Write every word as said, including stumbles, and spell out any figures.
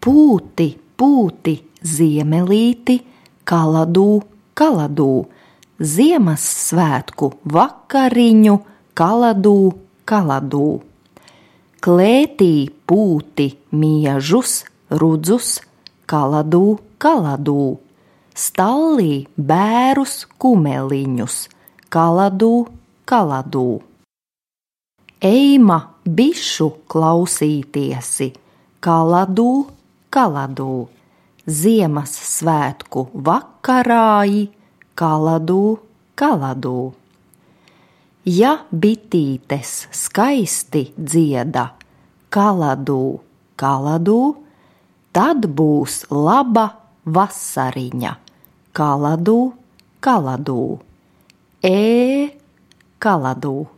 Pūti, pūti, ziemelīti, kaladū, kaladū, Ziemassvētku vakariņu, kaladū, kaladū. Klētī pūti miežus, rudzus, kaladū, kaladū, stallī bērus kumeliņus, kaladū, kaladū. Eima bišu klausītiesi, kaladū, kaladū, Ziemassvētku vakarāji, kaladū, kaladū. Ja bitītes skaisti dzieda, kaladū, kaladū, tad būs laba vasariņa, kaladū, kaladū. E, kaladū.